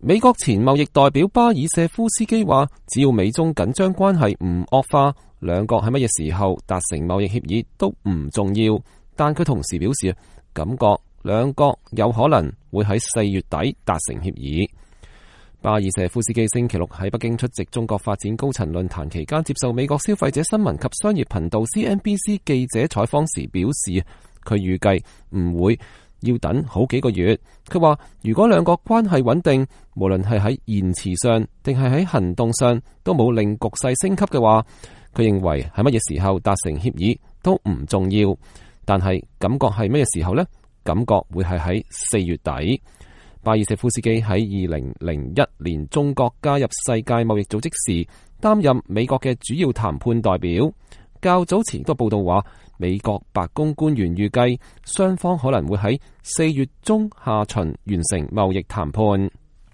美國前貿易代表巴爾謝夫斯基話，只要美中緊張關係唔惡化，兩國喺乜嘢時候達成貿易協議都唔重要。但佢同時表示，感覺兩國有可能會喺4月底達成協議。巴爾謝夫斯基星期六喺北京出席中國發展高層論壇期間，接受美國消費者新聞及商業頻道 CNBC 記者採訪時表示，佢預計唔會要等好幾個月。佢話如果兩國關係穩定，無論係喺言辭上定係喺行動上都冇令局勢升級嘅話，佢認為喺乜嘢時候達成協議都唔重要。但係感覺係乜嘢時候呢？感覺會係喺4月底。巴爾謝夫斯基喺2001年中國加入世界貿易組織時，擔任美國嘅主要談判代表。較早前個報道話，美國白宮官員預計雙方可能會喺4月中下旬完成貿易談判。